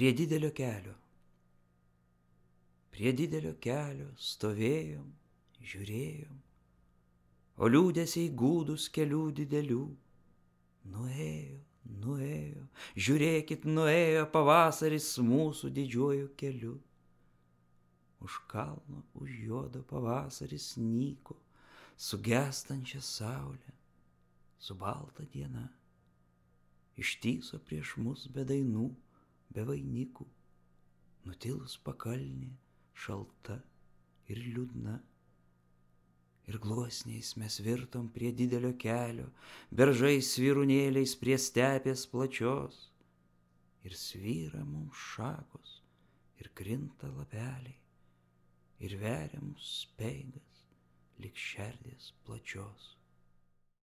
Prie didelio kelio. Prie didelio kelio stovėjom, žiūrėjom, o liūdesiai gūdus kelių didelių. Nuėjo, nuėjo, žiūrėkit, nuėjo pavasaris mūsų didžiuoju keliu. Už kalno, už juodo pavasaris nyko, su gęstančia saulė, su balta diena. Ištyso prieš mus be dainų, be vainikų, nutilus pakalnė, šalta ir liūdna. Ir gluosniais mes virtom prie didelio kelio, beržais svirunėliais prie stepės plačios. Ir svyra mums šakos, ir krinta lapeliai, ir veria mus speigas lik šerdės plačios.